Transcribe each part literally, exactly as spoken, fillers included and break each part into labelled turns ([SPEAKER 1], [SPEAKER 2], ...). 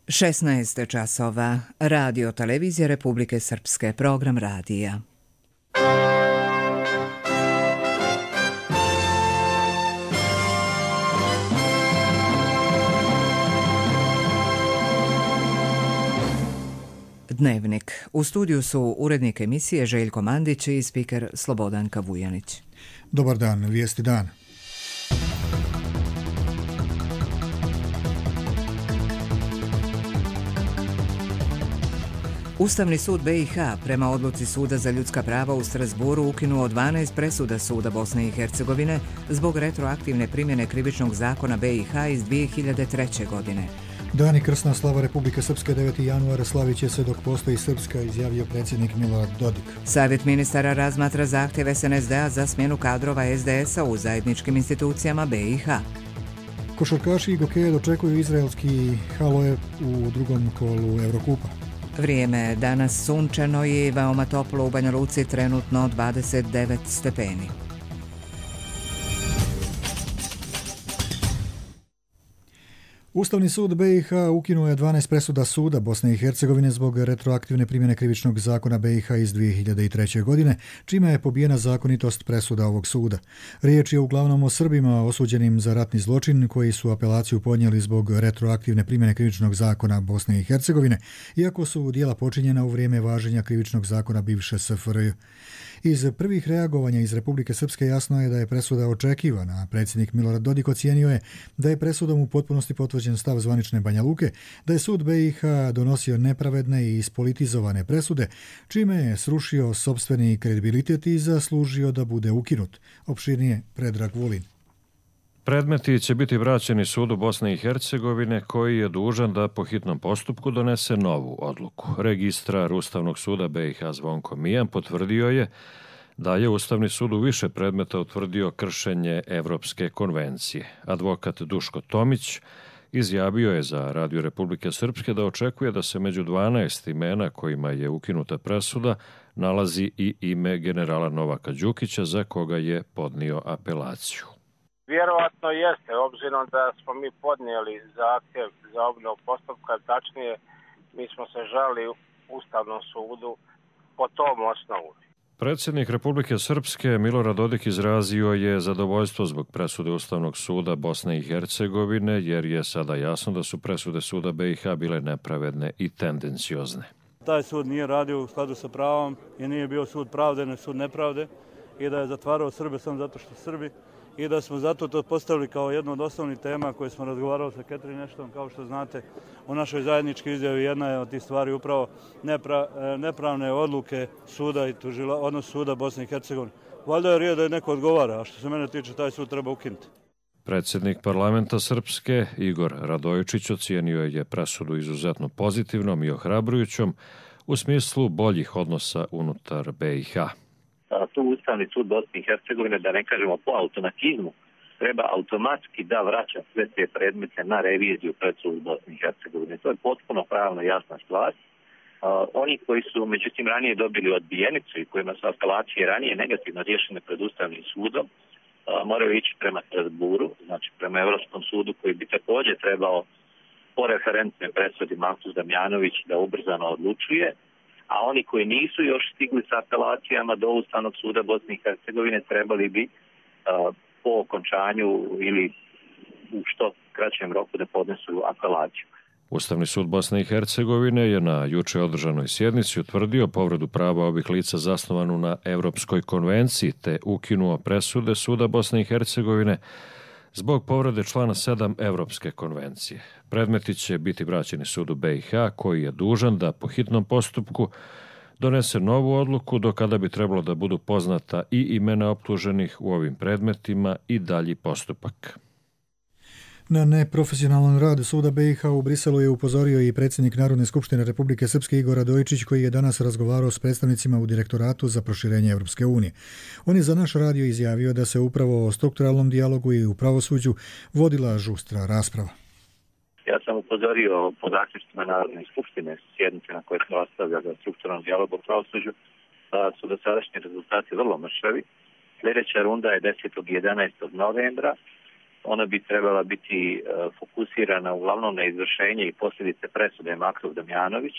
[SPEAKER 1] šesnaest časova. Radio Televizija Republike Srpske. Program radija. Dnevnik. U studiju su urednik emisije Željko Mandić i spiker Slobodanka Vujanić.
[SPEAKER 2] Dobar dan, vijesti dana.
[SPEAKER 1] Ustavni sud B i H prema odluci Suda za ljudska prava u Strasburu ukinuo dvanaest presuda Suda Bosne i Hercegovine zbog retroaktivne primjene krivičnog zakona B i H iz dvije hiljade treće. godine.
[SPEAKER 2] Dan i krsna slava Republike Srpske deveti januara slavit će se dok postoji Srpska, izjavio predsjednik Milorad Dodik.
[SPEAKER 1] Savjet ministara razmatra zahtjev S N S D-a za smjenu kadrova S D S-a u zajedničkim institucijama B i H.
[SPEAKER 2] Košarkaši i gokeje dočekuju izraelski Haloje u drugom kolu Eurokupa.
[SPEAKER 1] Vrijeme danas sunčano i veoma toplo u Banja Luci, trenutno dvadeset devet stepeni.
[SPEAKER 2] Ustavni sud B i H ukinuo je dvanaest presuda Suda Bosne i Hercegovine zbog retroaktivne primjene krivičnog zakona B i H iz dvije hiljade treće. godine, čime je pobijena zakonitost presuda ovog suda. Riječ je uglavnom o Srbima osuđenim za ratni zločin koji su apelaciju podnijeli zbog retroaktivne primjene krivičnog zakona Bosne i Hercegovine, iako su djela počinjena u vrijeme važenja krivičnog zakona bivše S F R J. Iz prvih reagovanja iz Republike Srpske jasno je da je presuda očekivana. Predsjednik Milorad Dodik ocijenio je da je presudom u potpunosti potvrđen stav zvanične Banja Luke, da je sud B i H donosio nepravedne i ispolitizovane presude, čime je srušio sopstveni kredibilitet i zaslužio da bude ukinut. Opširnije Predrag Vulin.
[SPEAKER 3] Predmeti će biti vraćeni Sudu Bosne i Hercegovine, koji je dužan da po hitnom postupku donese novu odluku. Registrar Ustavnog suda B i H Zvonko Mijan potvrdio je da je Ustavni sud u više predmeta utvrdio kršenje Evropske konvencije. Advokat Duško Tomić izjavio je za Radio Republike Srpske da očekuje da se među dvanaest imena kojima je ukinuta presuda nalazi i ime generala Novaka Đukića, za koga je podnio apelaciju.
[SPEAKER 4] Vjerovatno jeste, obzirom da smo mi podnijeli zahtjev za obnovu postupka, tačnije mi smo se žalili Ustavnom sudu po tom osnovu.
[SPEAKER 3] Predsjednik Republike Srpske Milorad Dodik izrazio je zadovoljstvo zbog presude Ustavnog suda Bosne i Hercegovine, jer je sada jasno da su presude suda B i H bile nepravedne i tendenciozne.
[SPEAKER 5] Taj sud nije radio u skladu sa pravom i nije bio sud pravde, ne sud nepravde, i da je zatvarao Srbe samo zato što Srbi, i da smo zato to postavili kao jednu od osnovnih tema koje smo razgovarali sa Catherine Ashton. Kao što znate, u našoj zajedničkoj izjavi jedna je od tih stvari upravo nepra, nepravne odluke suda i tužila, odnos suda Bosne i Hercegovine. Valjda je rijed da je neko odgovara, a što se mene tiče, taj sud treba ukinuti.
[SPEAKER 3] Predsjednik parlamenta Srpske Igor Radojičić ocijenio je presudu izuzetno pozitivnom i ohrabrujućom u smislu boljih odnosa unutar B i H.
[SPEAKER 6] Tu Ustavni sud Bosne i Hercegovine, da ne kažemo po automatizmu, treba automatski da vraća sve te predmete na reviziju pred sud Bosne i Hercegovine. To je potpuno pravno jasna stvar. Uh, oni koji su međutim ranije dobili odbijenicu i kojima su apelacije ranije negativno riješene pred Ustavnim sudom, uh, moraju ići prema Strasburu, znači prema Evropskom sudu, koji bi također trebao po referentnoj presudi Malthus Damjanović da ubrzano odlučuje. A oni koji nisu još stigli sa apelacijama do Ustavnog suda Bosne i Hercegovine trebali bi uh, po okončanju ili u što kraćem roku da podnesu apelaciju.
[SPEAKER 3] Ustavni sud Bosne i Hercegovine je na juče održanoj sjednici utvrdio povredu prava ovih lica zasnovanu na Evropskoj konvenciji te ukinuo presude Suda Bosne i Hercegovine zbog povrede člana sedam Evropske konvencije. Predmeti će biti vraćeni sudu B i H, koji je dužan da po hitnom postupku donese novu odluku, do kada bi trebalo da budu poznata i imena optuženih u ovim predmetima i dalji postupak.
[SPEAKER 2] Na neprofesionalan rad suda B i H u Briselu je upozorio i predsjednik Narodne skupštine Republike Srpske Igor Radojičić, koji je danas razgovarao s predstavnicima u Direktoratu za proširenje Evropske unije. On je za naš radio izjavio da se upravo o strukturalnom dijalogu i u pravosuđu vodila žustra rasprava.
[SPEAKER 6] Ja sam upozorio po zaključcima Narodne skupštine sjednice na koje smo raspravljali o strukturalnom dijalogu u pravosuđu, da su dosadašnji rezultati vrlo mršavi. Sljedeća runda je desetog i jedanaestog novembra. ona bi trebala biti fokusirana uglavnom na izvršenje i posljedice presude Maktov Damjanović.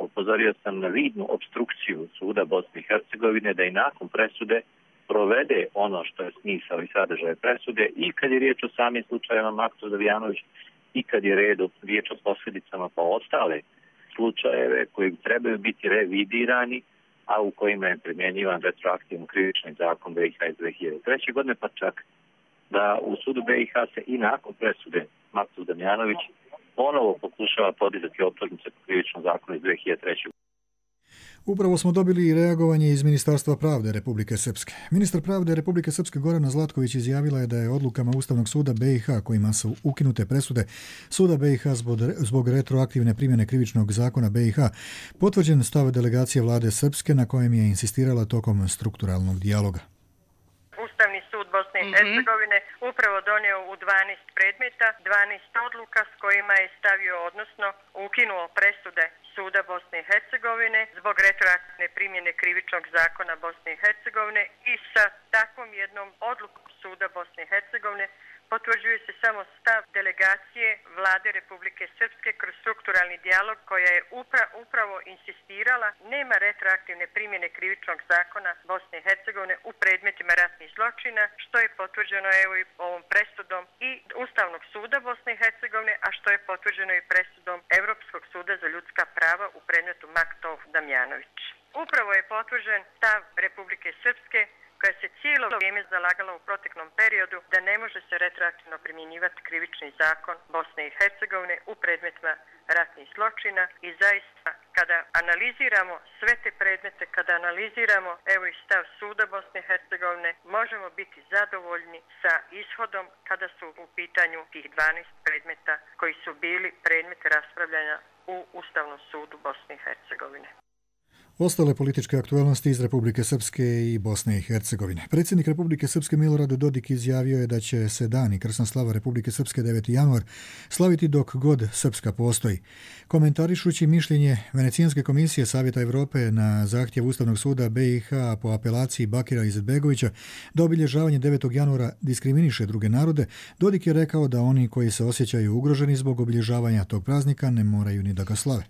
[SPEAKER 6] Upozorio sam na vidnu obstrukciju suda Bosne i Hercegovine da i nakon presude provede ono što je smisao i sadržaj presude i kad je riječ o samim slučajevima Maktov Damjanović i kad je redu, riječ o posljedicama pa ostale slučajeve koji trebaju biti revidirani, a u kojima je primjenjivan retroaktivno krivični zakon B i H iz dve hiljade treće. godine, pa čak da u sudu B i H se i nakon presude Maktov Damjanović ponovo pokušava podizati optužnice po krivičnom zakonu iz dve hiljade treće.
[SPEAKER 2] Upravo smo dobili i reagovanje iz Ministarstva pravde Republike Srpske. Ministar pravde Republike Srpske Gorana Zlatković izjavila je da je odlukama Ustavnog suda B i H kojima su ukinute presude suda B i H zbog, zbog retroaktivne primjene krivičnog zakona B i H potvrđen stav delegacije vlade Srpske na kojem je insistirala tokom strukturalnog dijaloga.
[SPEAKER 7] Ustavni sud Bosne i Hercegovine upravo donio u dvanaest predmeta, dvanaest odluka s kojima je stavio, odnosno ukinuo presude suda Bosne i Hercegovine zbog retroaktivne primjene krivičnog zakona Bosne i Hercegovine i sa takvom jednom odlukom suda Bosne i Hercegovine potvrđuje se samo stav delegacije vlade Republike Srpske kroz strukturalni dijalog koja je upra, upravo insistirala nema retroaktivne primjene krivičnog zakona Bosne i Hercegovine u predmetima ratnih zločina, što je potvrđeno evo i ovom presudom i Ustavnog suda Bosne i Hercegovine, a što je potvrđeno i presudom Europskog suda za ljudska prava u predmetu Maktov Damjanović. Upravo je potvrđen stav Republike Srpske koja se cijelo vrijeme zalagala u proteklom periodu da ne može se retroaktivno primjenjivati krivični zakon Bosne i Hercegovine u predmetima ratnih zločina i zaista kada analiziramo sve te predmete, kada analiziramo evo i stav suda Bosne i Hercegovine, možemo biti zadovoljni sa ishodom kada su u pitanju tih dvanaest predmeta koji su bili predmet raspravljanja u Ustavnom sudu Bosne i Hercegovine.
[SPEAKER 2] Ostale političke aktualnosti iz Republike Srpske i Bosne i Hercegovine. Predsjednik Republike Srpske Milorad Dodik izjavio je da će se dan i krsna slava Republike Srpske deveti januar slaviti dok god Srpska postoji. Komentarišući mišljenje Venecijanske komisije Savjeta Evrope na zahtjev Ustavnog suda B i H po apelaciji Bakira Izetbegovića da obilježavanje devetog januara diskriminiše druge narode, Dodik je rekao da oni koji se osjećaju ugroženi zbog obilježavanja tog praznika ne moraju ni da ga slave.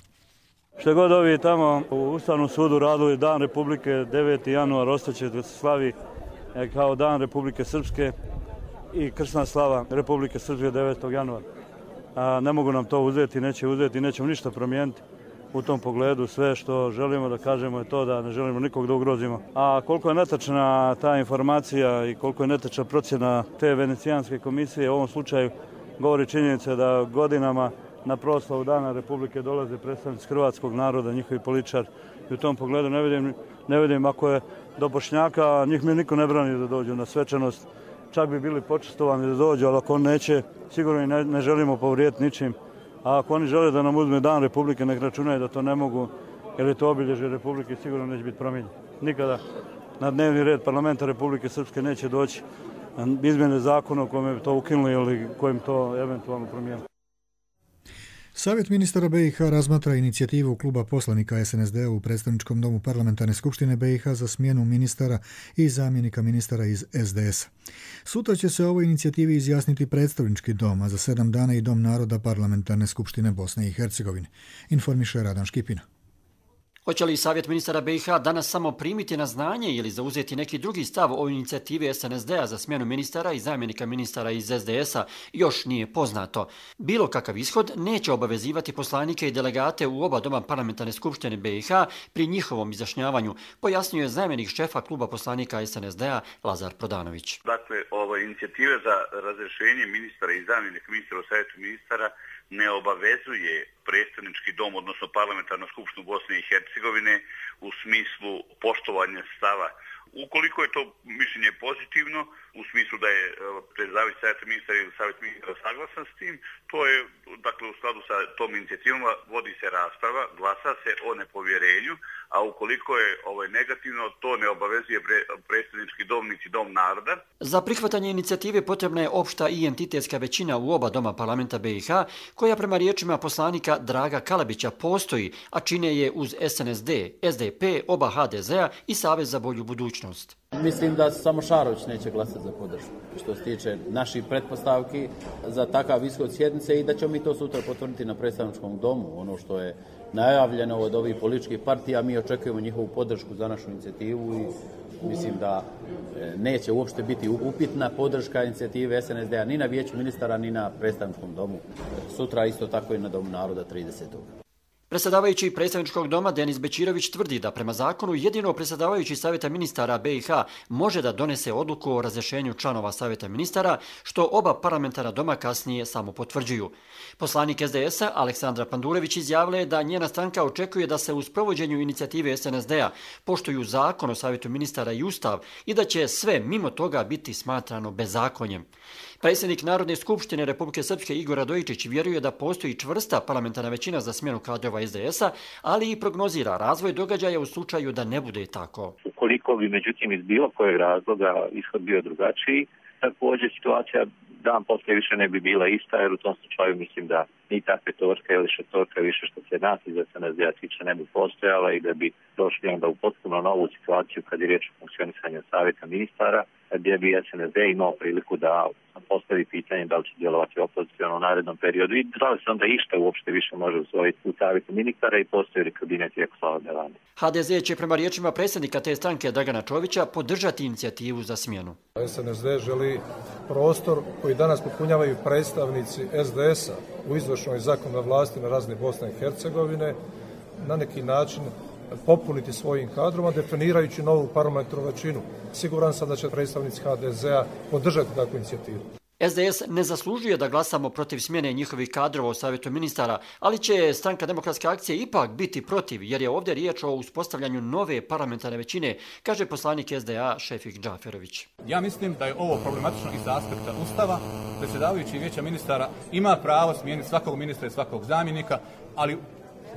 [SPEAKER 5] Što god ovi tamo u Ustavnom sudu radili Dan Republike deveti januar ostaće da se slavi kao Dan Republike Srpske i krsna slava Republike Srpske devetog januara. A ne mogu nam to uzeti, neće uzeti, nećemo ništa promijeniti u tom pogledu. Sve što želimo da kažemo je to da ne želimo nikog da ugrozimo. A koliko je netačna ta informacija i koliko je netačna procjena te Venecijanske komisije u ovom slučaju govori činjenica da godinama na proslavu Dana Republike dolaze predstavnici hrvatskog naroda, njihovi političari. I u tom pogledu ne vidim, ne vidim ako je do Bošnjaka, njih mi niko ne brani da dođu na svečanost. Čak bi bili počestovani da dođu, ali ako on neće, sigurno i ne, ne želimo povrijeti ničim. A ako oni žele da nam uzme Dan Republike, nek računaju da to ne mogu, jer je to obilježje Republike, sigurno neće biti promijenjeno. Nikada na dnevni red parlamenta Republike Srpske neće doći izmjene zakona u kojem bi to ukinuli ili kojim to eventualno promijenili.
[SPEAKER 2] Savjet ministara B i H razmatra inicijativu kluba poslanika S N S D u predstavničkom domu parlamentarne skupštine B i H za smjenu ministara i zamjenika ministara iz S D S-a. Sutra će se o ovoj inicijativi izjasniti predstavnički dom, a za sedam dana i Dom naroda parlamentarne skupštine Bosne i Hercegovine, informiše Radan Škipina.
[SPEAKER 8] Hoće li Savjet ministara B i H danas samo primiti na znanje ili zauzeti neki drugi stav o inicijativi S N S D-a za smjenu ministara i zamjenika ministara iz S D S-a još nije poznato. Bilo kakav ishod neće obavezivati poslanike i delegate u oba doma parlamentarne skupštine B i H pri njihovom izjašnjavanju, pojasnio je zamjenik šefa kluba poslanika S N S D-a Lazar Prodanović.
[SPEAKER 9] Dakle, ova inicijativa za razrješenje ministara i zamjenika ministara u Savjetu ministara ne obavezuje predstavnički dom, odnosno parlamentarnu skupštinu Bosne i Hercegovine u smislu poštovanja stava. Ukoliko je to mišljenje pozitivno, u smislu da je predstavnik Savjeta ministara ili Savjet ministara saglasan s tim, to je, dakle, u skladu sa tom inicijativom vodi se rasprava, glasa se o nepovjerenju, a ukoliko je ovaj negativno, to ne obavezuje pre, predstavnički dom niti Dom naroda.
[SPEAKER 8] Za prihvatanje inicijative potrebna je opšta i entitetska većina u oba doma parlamenta B i H, koja prema riječima poslanika Draga Kalabića postoji, a čine je uz S N S D, S D P, oba H D Z-a i Savez za bolju budućnost.
[SPEAKER 10] Mislim da samo Šarović neće glasati za podršku što se tiče naših pretpostavki za takav ishod sjednice i da ćemo mi to sutra potvrditi na predstavničkom domu. Ono što je najavljeno od ovih političkih partija, mi očekujemo njihovu podršku za našu inicijativu i mislim da neće uopšte biti upitna podrška inicijative S N S D-a ni na vijeću ministara ni na predstavničkom domu. Sutra isto tako i na Domu naroda tridesetog
[SPEAKER 8] Predsjedavajući predstavničkog doma Denis Bećirović tvrdi da prema zakonu jedino predsjedavajući Savjeta ministara B i H može da donese odluku o razrješenju članova Savjeta ministara, što oba parlamentarna doma kasnije samo potvrđuju. Poslanik S D S-a Aleksandra Pandurević izjavila je da njena stranka očekuje da se u sprovođenju inicijative S N S D-a poštuju zakon o Savjetu ministara i Ustav i da će sve mimo toga biti smatrano bezakonjem. Predsjednik Narodne skupštine Republike Srpske Igor Radojičić vjeruje da postoji čvrsta parlamentarna većina za smjenu kadrova S D S-a, ali i prognozira razvoj događaja u slučaju da ne bude tako.
[SPEAKER 6] Ukoliko bi međutim iz bilo kojeg razloga ishod bio drugačiji, također situacija dan poslije više ne bi bila ista, jer u tom slučaju mislim da ni ta petorka ili šestorka više što se nas iz S N S D-a tiče ne bi postojala i da bi došli onda u potpuno novu situaciju kad je riječ o funkcionisanju Savjeta ministara, gdje bi S N S D imao priliku da postavi pitanje da li će djelovati opoziciono u narednom periodu i da li se onda išta uopšte više može usvojiti u Savjetu ministara i postoji li kabinet Jakoslava Delande.
[SPEAKER 8] H D Z će prema riječima predsjednika te stranke Dragana Čovića podržati inicijativu za smjenu.
[SPEAKER 11] S N S D želi prostor koji danas popunjavaju predstavnici S D S-a u izvršnoj zakonodavnoj vlasti na razini Bosne i Hercegovine na neki način popuniti svojim kadroma, definirajući novu parlamentarnu većinu. Siguran sam da će predstavnici H D Z-a podržati takvu inicijativu.
[SPEAKER 8] S D S ne zaslužuje da glasamo protiv smjene njihovih kadrova u Savjetu ministara, ali će Stranka demokratske akcije ipak biti protiv, jer je ovdje riječ o uspostavljanju nove parlamentarne većine, kaže poslanik S D A Šefik Džaferović.
[SPEAKER 12] Ja mislim da je ovo problematično iz aspekta Ustava. Predsjedavajući vijeća ministara ima pravo smijeniti svakog ministra i svakog zamjenika, ali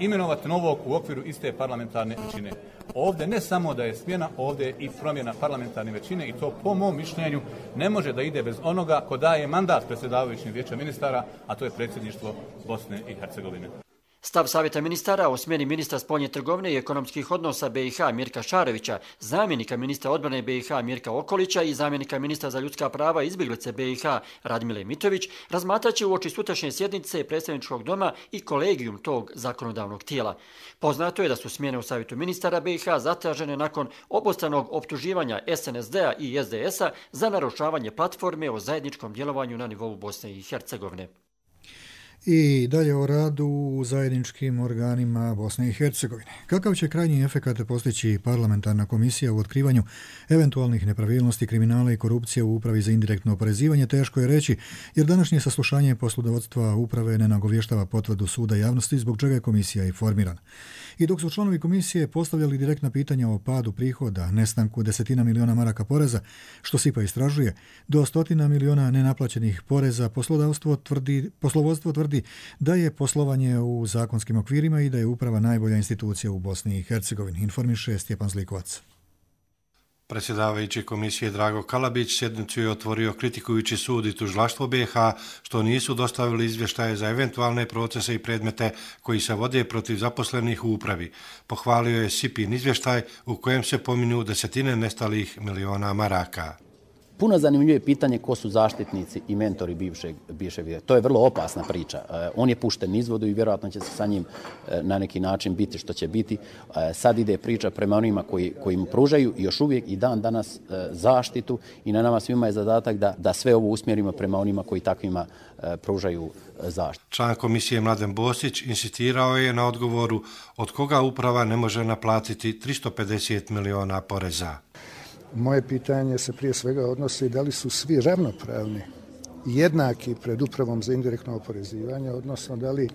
[SPEAKER 12] imenovati novog u okviru iste parlamentarne većine. Ovdje ne samo da je smjena, ovdje je i promjena parlamentarne većine i to po mom mišljenju ne može da ide bez onoga ko daje mandat predsjedavajućim vijeća ministara, a to je predsjedništvo Bosne i Hercegovine.
[SPEAKER 8] Stav Savjeta ministara o smjeni ministra spoljne trgovine i ekonomskih odnosa B i H Mirka Šarevića, zamjenika ministra odbrane B i H Mirka Okolića i zamjenika ministra za ljudska prava i izbjeglice B i H Radmile Mitović razmatraće uoči sutrašnje sjednice predstavničkog doma i kolegijum tog zakonodavnog tijela. Poznato je da su smjene u Savjetu ministara B i H zatražene nakon obostranog optuživanja S N S D-a i S D S-a za narušavanje platforme o zajedničkom djelovanju na nivou Bosne i Hercegovine.
[SPEAKER 2] I dalje o radu u zajedničkim organima Bosne i Hercegovine. Kakav će krajnji efekat postići parlamentarna komisija u otkrivanju eventualnih nepravilnosti, kriminala i korupcije u upravi za indirektno oporezivanje, teško je reći, jer današnje saslušanje poslovodstva uprave ne nagovještava potvrdu suda javnosti, zbog čega je komisija i formirana. I dok su članovi komisije postavljali direktna pitanja o padu prihoda, nestanku desetina miliona maraka poreza, što S I P A istražuje, do stotina miliona nenaplaćenih poreza, poslodavstvo tvrdi, poslovodstvo tvrdi da je poslovanje u zakonskim okvirima i da je uprava najbolja institucija u Bosni i Hercegovini, informiše Stjepan Zlikovac.
[SPEAKER 13] Predsjedavajući komisije Drago Kalabić sjednicu je otvorio kritikujući sud i tužilaštvo B i H što nisu dostavili izvještaje za eventualne procese i predmete koji se vode protiv zaposlenih u upravi. Pohvalio je S I P I-in izvještaj u kojem se pominju desetine nestalih miliona maraka.
[SPEAKER 10] Puno zanimljivije pitanje ko su zaštitnici i mentori bivšeg, bivšeg videa. To je vrlo opasna priča. On je pušten izvodu i vjerojatno će se sa njim na neki način biti što će biti. Sad ide priča prema onima koji, koji mu pružaju još uvijek i dan danas zaštitu i na nama svima je zadatak da, da sve ovo usmjerimo prema onima koji takvima pružaju zaštitu.
[SPEAKER 13] Član komisije Mladen Bosić insistirao je na odgovoru od koga uprava ne može naplatiti tristo pedeset miliona poreza.
[SPEAKER 14] Moje pitanje se prije svega odnosi da li su svi ravnopravni i jednaki pred upravom za indirektno oporezivanje, odnosno da li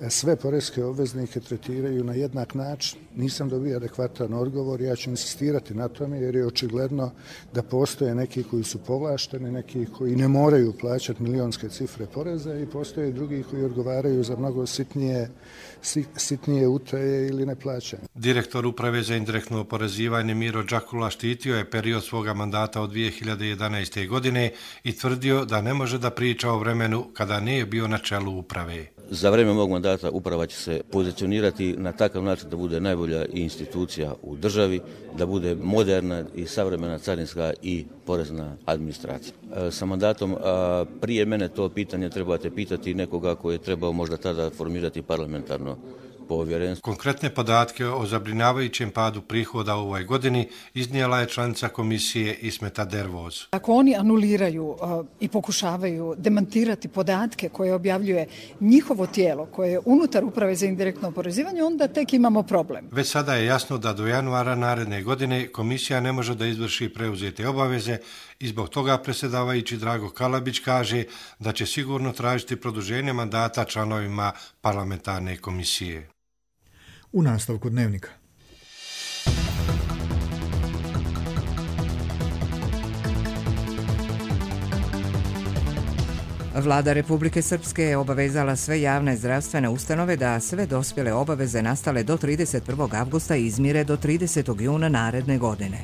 [SPEAKER 14] sve poreske obveznike tretiraju na jednak način. Nisam dobio adekvatan odgovor, ja ću insistirati na tome jer je očigledno da postoje neki koji su povlašteni, neki koji ne moraju plaćati milionske cifre poreza i postoje drugi koji odgovaraju za mnogo sitnije, sitnije utaje ili neplaćanje.
[SPEAKER 13] Direktor uprave za indirektno oporezivanje Miro Đakula štitio je period svoga mandata od dvije hiljade jedanaeste. godine i tvrdio da ne može da priča o vremenu kada nije bio na čelu uprave.
[SPEAKER 15] Za vreme mog mandata uprava će se pozicionirati na takav način da bude najbolja institucija u državi, da bude moderna i savremena carinska i porezna administracija. Sa mandatom prije mene to pitanje trebate pitati nekoga koji je trebao možda tada formirati parlamentarno povjerenstvo.
[SPEAKER 13] Konkretne podatke o zabrinjavajućem padu prihoda u ovoj godini iznijela je članica komisije Ismeta Dervoz.
[SPEAKER 16] Ako oni anuliraju uh, i pokušavaju demantirati podatke koje objavljuje njihovo tijelo, koje je unutar Uprave za indirektno oporezivanje, onda tek imamo problem.
[SPEAKER 13] Već sada je jasno da do januara naredne godine komisija ne može da izvrši preuzete obaveze i zbog toga predsjedavajući Drago Kalabić kaže da će sigurno tražiti produženje mandata članovima parlamentarne komisije.
[SPEAKER 2] U nastavku dnevnika.
[SPEAKER 1] Vlada Republike Srpske je obavezala sve javne zdravstvene ustanove da sve dospjele obaveze nastale do trideset prvog avgusta izmire do tridesetog juna naredne godine.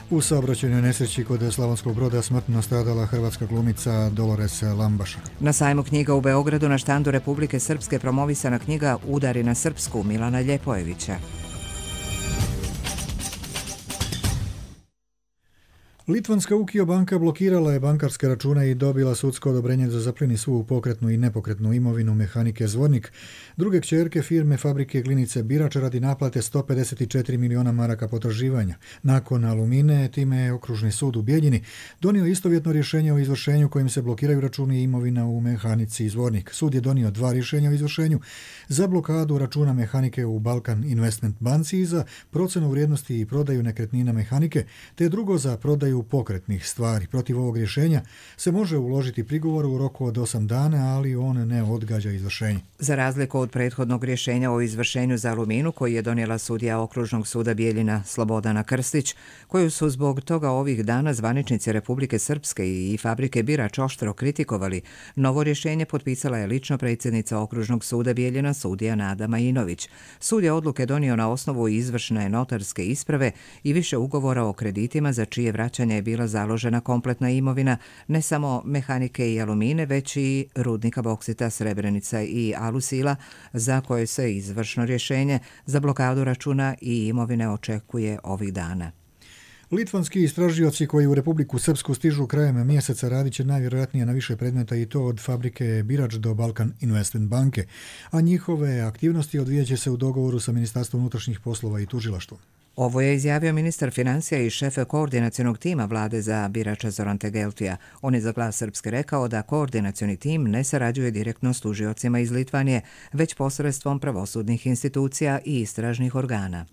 [SPEAKER 2] U saobraćajnoj nesreći kod Slavonskog Broda smrtno stradala hrvatska glumica Dolores Lambaša.
[SPEAKER 1] Na sajmu knjiga u Beogradu na štandu Republike Srpske promovisana knjiga Udari na srpsku Milana Ljepojevića.
[SPEAKER 2] Litvanska Ukio banka blokirala je bankarske račune i dobila sudsko odobrenje da zapleni svu pokretnu i nepokretnu imovinu mehanike Zvornik, druge kćerke firme fabrike Glinice Birač radi naplate sto pedeset četiri miliona maraka potraživanja. Nakon Alumine, time je Okružni sud u Bijeljini donio istovjetno rješenje o izvršenju kojim se blokiraju računi i imovina u mehanici Zvornik. Sud je donio dva rješenja o izvršenju za blokadu računa mehanike u Balkan Investment banci i za procenu vrijednosti i prodaju nekretnina mehanike, te drugo za prodaju pokretnih stvari. Protiv ovog rješenja se može uložiti prigovor u roku od osam dana, ali on ne odgađa izvršenje.
[SPEAKER 1] Za razliku od prethodnog rješenja o izvršenju za Aluminu koji je donijela sudija Okružnog suda Bijeljina Slobodana Krstić, koju su zbog toga ovih dana zvaničnici Republike Srpske i fabrike Birač oštro kritikovali, novo rješenje potpisala je lično predsjednica Okružnog suda Bijeljina sudija Nada Majinović. Sud je odluke donio na osnovu izvršne notarske isprave i više ugovora o kreditima za čije vraćanje je bila založena kompletna imovina ne samo mehanike i Alumine, već i rudnika boksita Srebrenica i Alusila, za koje se izvršno rješenje za blokadu računa i imovine očekuje ovih dana.
[SPEAKER 2] Litvanski istražioci koji u Republiku Srpsku stižu krajem mjeseca radit će najvjerojatnije na više predmeta i to od fabrike Birač do Balkan Investment banke, a njihove aktivnosti odvijat će se u dogovoru sa Ministarstvom unutrašnjih poslova i tužilaštvom.
[SPEAKER 1] Ovo je izjavio ministar financija i šef koordinacionog tima vlade za Birača Zoran Tegeltija. On je za Glas Srpske rekao da koordinacioni tim ne sarađuje direktno s tužiocima iz Litvanije, već posredstvom pravosudnih institucija i istražnih organa.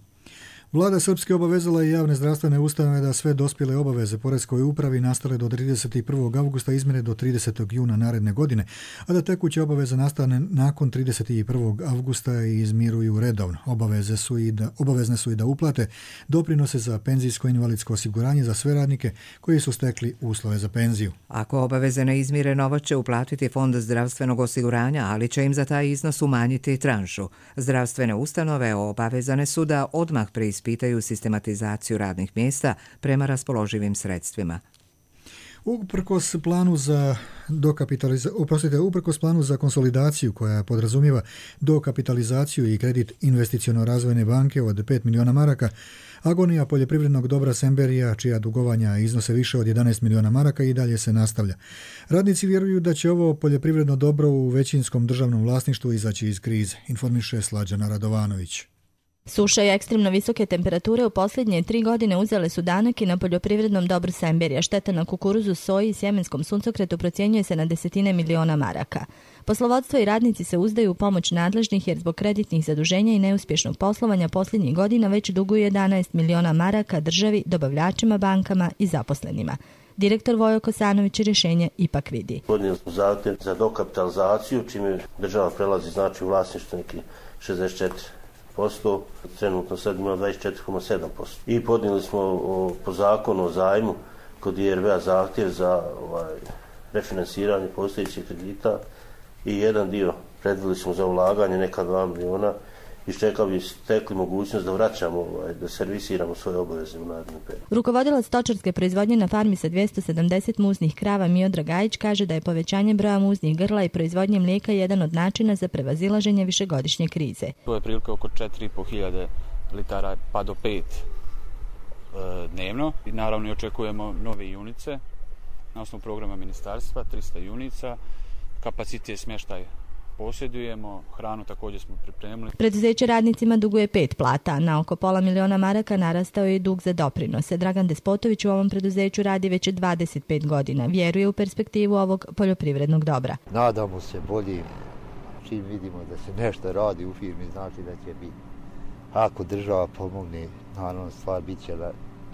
[SPEAKER 2] Vlada Srpske obavezala je javne zdravstvene ustanove da sve dospjele obaveze poreskoj upravi nastale do trideset prvog avgusta izmjere do tridesetog juna naredne godine, a da tekuće obaveze nastane nakon trideset prvog avgusta i izmiruju redovno. Obaveze su i da, obavezne su i da uplate doprinose za penzijsko invalidsko osiguranje za sve radnike koji su stekli uslove za penziju.
[SPEAKER 1] Ako obaveze ne izmire, novac će uplatiti Fond zdravstvenog osiguranja, ali će im za taj iznos umanjiti tranšu. Zdravstvene ustanove obavezane su da odmah preispitaju pitaju sistematizaciju radnih mjesta prema raspoloživim sredstvima.
[SPEAKER 2] Uprkos planu za dokapitalizaciju, oprostite, uprkos planu za konsolidaciju koja podrazumijeva dokapitalizaciju i kredit investiciono-razvojne banke od pet miliona maraka, agonija poljoprivrednog dobra Semberija, čija dugovanja iznose više od jedanaest miliona maraka, i dalje se nastavlja. Radnici vjeruju da će ovo poljoprivredno dobro u većinskom državnom vlasništvu izaći iz krize, informiše Slađana Radovanović.
[SPEAKER 17] Suša i ekstremno visoke temperature u posljednje tri godine uzele su danak i na poljoprivrednom dobru Semberija. Šteta na kukuruzu, soji i sjemenskom suncokretu procjenjuje se na desetine miliona maraka. Poslovodstvo i radnici se uzdaju u pomoć nadležnih jer zbog kreditnih zaduženja i neuspješnog poslovanja posljednjih godina već duguju jedanaest miliona maraka državi, dobavljačima, bankama i zaposlenima. Direktor Vojo Kosanović rješenje ipak vidi.
[SPEAKER 18] Podnijeli smo zahtjev za dokapitalizaciju, čime država prelazi znači u vlasništvo neki šezdeset četiri posto, trenutno sad ima dvadeset četiri zarez sedam posto. I podnijeli smo o, po zakonu o zajmu kod I R V-a zahtjev za ovaj, refinansiranje postojećih kredita i jedan dio predvili smo za ulaganje, neka dva miliona iščekali bi stekli mogućnost da vraćamo, ovaj, da servisiramo svoje obaveze u narednom periodu.
[SPEAKER 17] Rukovodilac stočarske proizvodnje na farmi sa dvjesto sedamdeset muznih krava Miodrag Gajić kaže da je povećanje broja muznih grla i proizvodnje mlijeka jedan od načina za prevazilaženje višegodišnje krize.
[SPEAKER 19] To je prilike oko četiri i po hiljade litara pa do pet e, dnevno. I naravno očekujemo nove junice na osnovu programa ministarstva, trista junica, kapacitet smještaj posjedujemo, hranu također smo pripremili.
[SPEAKER 17] Preduzeće radnicima duguje pet plata, na oko pola miliona maraka narastao je i dug za doprinose. Dragan Despotović u ovom preduzeću radi već dvadeset pet godina. Vjeruje u perspektivu ovog poljoprivrednog dobra.
[SPEAKER 20] Nadamo se bolji, čim vidimo da se nešto radi u firmi, znači da će biti. Ako država pomogne, naravno stvar bit će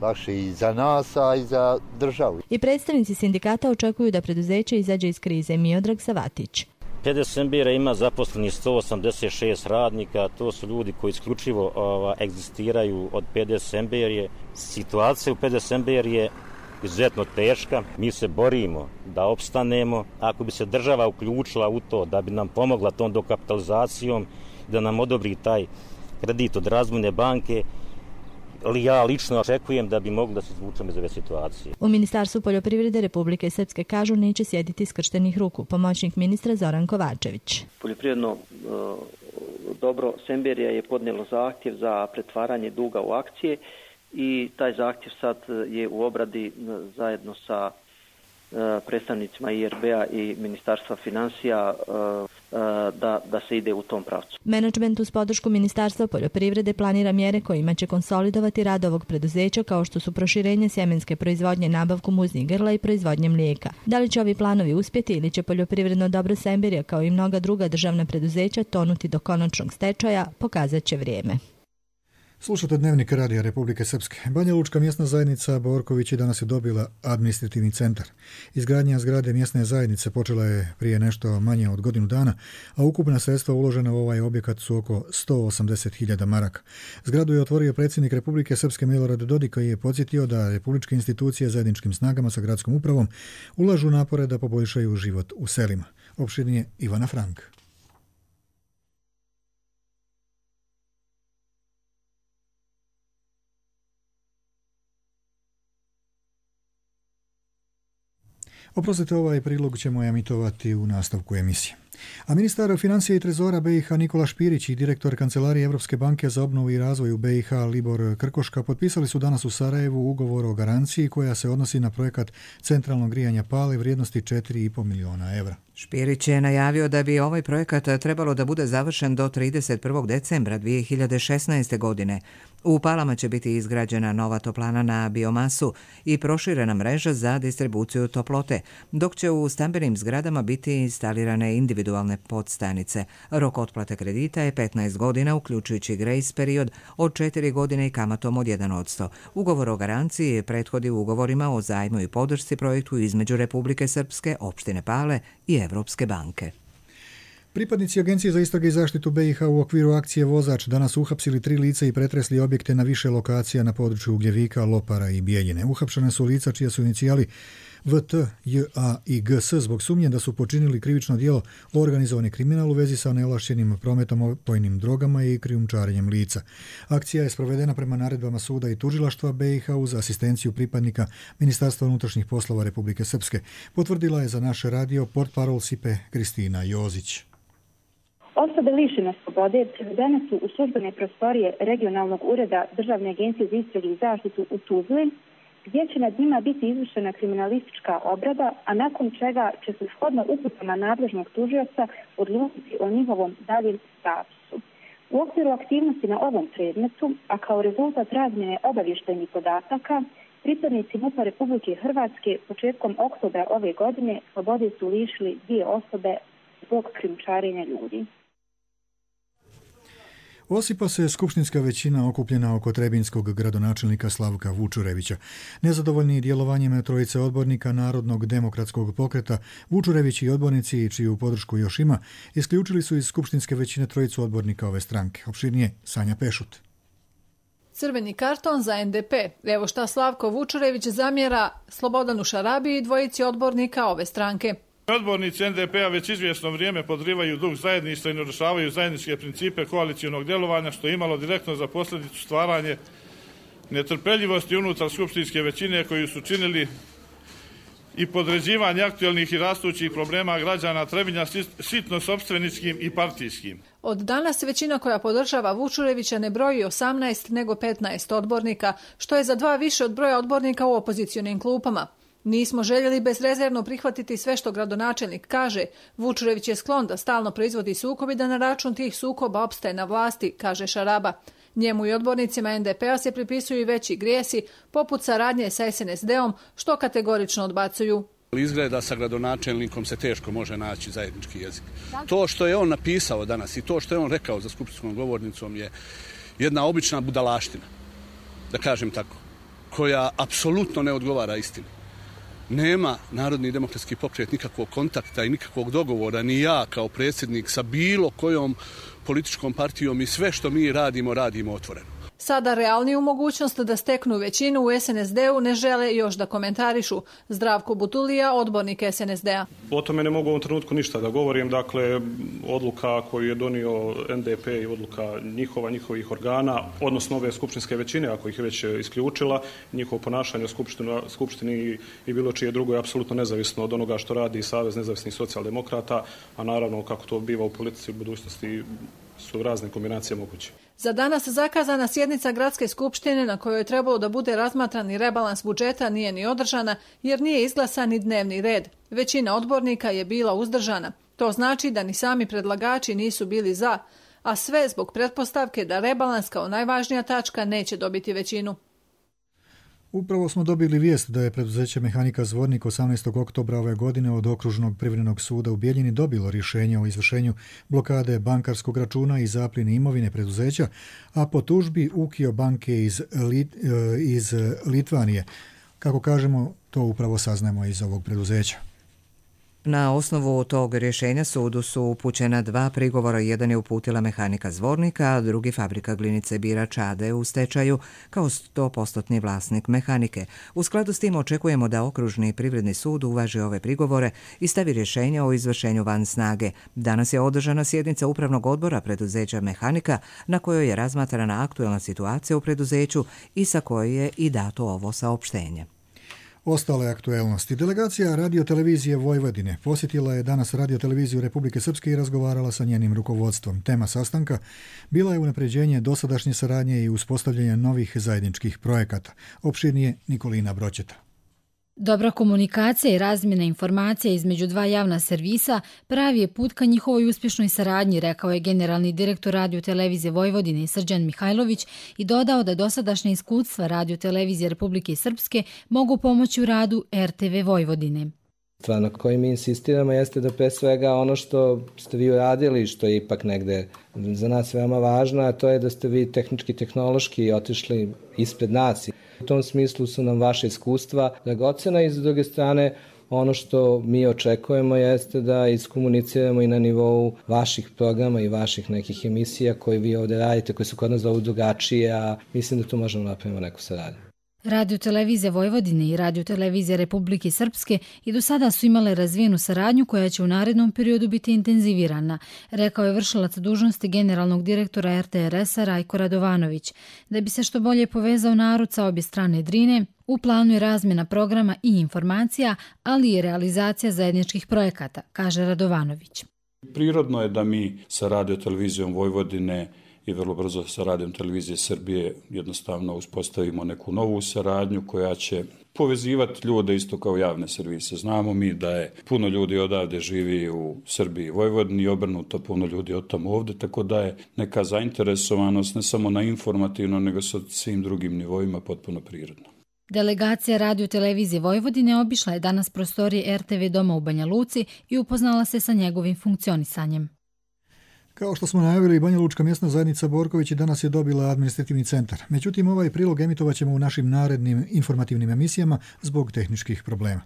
[SPEAKER 20] lakše i za nas, a i za državu.
[SPEAKER 17] I predstavnici sindikata očekuju da preduzeće izađe iz krize. Miodrag Savatić.
[SPEAKER 21] P D Sembera ima zaposleni sto osamdeset šest radnika, to su ljudi koji isključivo ova, egzistiraju od P D Semberije. Situacija u P D Semberiji je izuzetno teška, mi se borimo da opstanemo. Ako bi se država uključila u to, da bi nam pomogla tom dokapitalizacijom, da nam odobri taj kredit od Razvojne banke, ali ja lično očekujem da bi mogli da se izvučemo iz ove situacije.
[SPEAKER 17] U Ministarstvu poljoprivrede Republike Srpske kažu neće sjediti skrštenih ruku. Pomoćnik ministra Zoran Kovačević.
[SPEAKER 22] Poljoprivredno dobro Semberija je podnijelo zahtjev za pretvaranje duga u akcije i taj zahtjev sad je u obradi zajedno sa predstavnicima I R B-a i Ministarstva financija da, da se ide u tom pravcu.
[SPEAKER 17] Menadžment uz podršku Ministarstva poljoprivrede planira mjere kojima će konsolidovati rad ovog preduzeća kao što su proširenje sjemenske proizvodnje, nabavku muznih grla i proizvodnje mlijeka. Da li će ovi planovi uspjeti ili će poljoprivredno dobro Semberija kao i mnoga druga državna preduzeća tonuti do konačnog stečaja, pokazat će vrijeme.
[SPEAKER 2] Slušate Dnevnik Radija Republike Srpske. Banja Lučka mjesna zajednica Borković je danas je dobila administrativni centar. Izgradnja zgrade mjesne zajednice počela je prije nešto manje od godinu dana, a ukupna sredstva uložena u ovaj objekat su oko sto osamdeset hiljada maraka. Zgradu je otvorio predsjednik Republike Srpske Milorad Dodik, koji je podsjetio da republičke institucije zajedničkim snagama sa gradskom upravom ulažu napore da poboljšaju život u selima. Opširnije Ivana Frank. Oprostite, ovaj prilog ćemo emitovati u nastavku emisije. A ministar financija i trezora B i H Nikola Špirić i direktor Kancelarije Evropske banke za obnovu i razvoj u B i H Libor Krkoška potpisali su danas u Sarajevu ugovor o garanciji koja se odnosi na projekat centralnog grijanja Pale vrijednosti četiri i po miliona evra.
[SPEAKER 1] Špirić je najavio da bi ovaj projekat trebalo da bude završen do trideset prvog decembra dvije hiljade šesnaeste. godine. U Palama će biti izgrađena nova toplana na biomasu i proširena mreža za distribuciju toplote, dok će u stambenim zgradama biti instalirane individualne podstanice. Rok otplate kredita je petnaest godina, uključujući grace period od četiri godine i kamatom od jedan posto. Ugovor o garanciji prethodi ugovorima o zajmu i podršci projektu između Republike Srpske, opštine Pale i Evropske banke.
[SPEAKER 2] Pripadnici Agencije za istrage i zaštitu B i H u okviru akcije Vozač danas uhapsili tri lica i pretresli objekte na više lokacija na području Ugljevika, Lopara i Bijeljine. Uhapšene su lica čija su inicijali V T, J A i G S zbog sumnje da su počinili krivično djelo organizovani kriminal u vezi sa neovlašćenim prometom opojnim drogama i krijumčarenjem lica. Akcija je sprovedena prema naredbama suda i tužilaštva B i H uz asistenciju pripadnika Ministarstva unutrašnjih poslova Republike Srpske. Potvrdila je za naš radio portparol Sipe Kristina Jozić.
[SPEAKER 23] Osobe lišene slobode privedene su u službene prostorije regionalnog ureda Državne agencije za istrage i zaštitu u Tuzli, gdje će nad njima biti izvršena kriminalistička obrada, a nakon čega će se shodno uputama nadležnog tužioca odlučiti o njihovom daljem statusu. U okviru aktivnosti na ovom predmetu, a kao rezultat razmjene obavještajnih podataka, pripadnici M U P-a Republike Hrvatske početkom oktobra ove godine slobode su lišili dvije osobe zbog krijumčarenja ljudi.
[SPEAKER 2] Osipa se skupštinska većina okupljena oko trebinskog gradonačelnika Slavka Vučurevića. Nezadovoljni djelovanjem trojice odbornika Narodnog demokratskog pokreta, Vučurević i odbornici, čiju podršku još ima, isključili su iz skupštinske većine trojicu odbornika ove stranke. Opširnije Sanja Pešut.
[SPEAKER 24] Crveni karton za N D P. Evo šta Slavko Vučurević zamjera Slobodanu Šarabiji i dvojici odbornika ove stranke.
[SPEAKER 3] Odbornici en de pe-a već izvjesno vrijeme podrivaju duh zajedništva i narušavaju zajedničke principe koalicionog djelovanja, što je imalo direktno za posljedicu stvaranje netrpeljivosti unutar skupštinske većine koju su činili i podređivanje aktualnih i rastućih problema građana Trebinja sitno sopstveničkim i partijskim.
[SPEAKER 24] Od danas većina koja podržava Vučurevića ne broji osamnaest nego petnaest odbornika, što je za dva više od broja odbornika u opozicionim klupama. Nismo željeli bezrezervno prihvatiti sve što gradonačelnik kaže. Vučurević je sklon da stalno proizvodi sukob i da na račun tih sukoba opstaje na vlasti, kaže Šaraba. Njemu i odbornicima en de pe-a se pripisuju i veći grijesi, poput saradnje sa es en es de-om, što kategorično odbacuju.
[SPEAKER 4] Izgleda sa gradonačelnikom se teško može naći zajednički jezik. To što je on napisao danas i to što je on rekao za skupštinskom govornicom je jedna obična budalaština, da kažem tako, koja apsolutno ne odgovara istini. Nema Narodni demokratski pokret nikakvog kontakta i nikakvog dogovora, ni ja kao predsjednik sa bilo kojom političkom partijom i sve što mi radimo, radimo otvoreno.
[SPEAKER 24] Sada realniju mogućnost da steknu većinu u es en es de-u ne žele još da komentarišu. Zdravko Butulija, odbornik es en es de-a.
[SPEAKER 5] O tome ne mogu u ovom trenutku ništa da govorim. Dakle, odluka koju je donio en de pe i odluka njihova, njihovih organa, odnosno ove skupštinske većine, ako ih je već isključila, njihovo ponašanje u skupštini i bilo čije drugo je apsolutno nezavisno od onoga što radi Savez nezavisnih socijaldemokrata, a naravno kako to biva u politici u budućnosti su razne kombinacije moguće.
[SPEAKER 24] Za danas zakazana sjednica gradske skupštine na kojoj je trebalo da bude razmatran i rebalans budžeta nije ni održana jer nije izglasan ni dnevni red. Većina odbornika je bila uzdržana. To znači da ni sami predlagači nisu bili za, a sve zbog pretpostavke da rebalans kao najvažnija tačka neće dobiti većinu.
[SPEAKER 2] Upravo smo dobili vijest da je preduzeće Mehanika Zvornik osamnaestog oktobra ove godine od Okružnog privrednog suda u Bijeljini dobilo rješenje o izvršenju blokade bankarskog računa i zapljeni imovine preduzeća, a po tužbi Ukio banke iz, Lit, iz Litvanije. Kako kažemo, to upravo saznajemo iz ovog preduzeća.
[SPEAKER 1] Na osnovu tog rješenja sudu su upućena dva prigovora. Jedan je uputila Mehanika Zvornika, a drugi fabrika glinice Birač a de u stečaju kao sto posto vlasnik Mehanike. U skladu s tim očekujemo da Okružni privredni sud uvaži ove prigovore i stavi rješenje o izvršenju van snage. Danas je održana sjednica upravnog odbora preduzeća Mehanika na kojoj je razmatrana aktuelna situacija u preduzeću i sa koje je i dato ovo saopštenje.
[SPEAKER 2] Ostale aktuelnosti. Delegacija radiotelevizije Vojvodine posjetila je danas radioteleviziju Republike Srpske i razgovarala sa njenim rukovodstvom. Tema sastanka bila je unapređenje dosadašnje saradnje i uspostavljanje novih zajedničkih projekata. Opširnije Nikolina Broćeta.
[SPEAKER 7] Dobra komunikacija i razmjena informacija između dva javna servisa pravi je put ka njihovoj uspješnoj saradnji, rekao je generalni direktor radiotelevizije Vojvodine Srđan Mihajlović i dodao da dosadašnja iskustva radiotelevizije Republike Srpske mogu pomoći u radu er te ve Vojvodine.
[SPEAKER 25] Stvar na kojoj mi insistiramo jeste da pre svega ono što ste vi uradili, što je ipak negde za nas veoma važno, a to je da ste vi tehnički, tehnološki otišli ispred nas. U tom smislu su nam vaše iskustva dragocena i s druge strane ono što mi očekujemo jeste da iskomuniciramo i na nivou vaših programa i vaših nekih emisija koje vi ovdje radite, koje su kod nas zovu drugačije, a mislim da tu možemo napraviti neku saradnju.
[SPEAKER 7] Radiotelevizija Vojvodine i Radiotelevizija Republike Srpske i do sada su imale razvijenu saradnju koja će u narednom periodu biti intenzivirana, rekao je vršilac dužnosti generalnog direktora er te er es-a Rajko Radovanović. Da bi se što bolje povezao narod sa obje strane Drine, u planu je razmjena programa i informacija, ali i realizacija zajedničkih projekata, kaže Radovanović.
[SPEAKER 26] Prirodno je da mi sa Radiotelevizijom Vojvodine i vrlo brzo sa Radijom televizije Srbije jednostavno uspostavimo neku novu saradnju koja će povezivati ljude isto kao javne servise. Znamo mi da je puno ljudi odavde živi u Srbiji i Vojvodini i obrnuto puno ljudi od tamo ovde, tako da je neka zainteresovanost ne samo na informativno nego sa svim drugim nivoima potpuno prirodno.
[SPEAKER 7] Delegacija Radiotelevizije Vojvodine obišla je danas prostorije er te ve doma u Banja Luci i upoznala se sa njegovim funkcionisanjem.
[SPEAKER 2] Kao što smo najavili, Banja Lučka mjesna zajednica Borković danas je dobila administrativni centar. Međutim, ovaj prilog emitovat ćemo u našim narednim informativnim emisijama zbog tehničkih problema.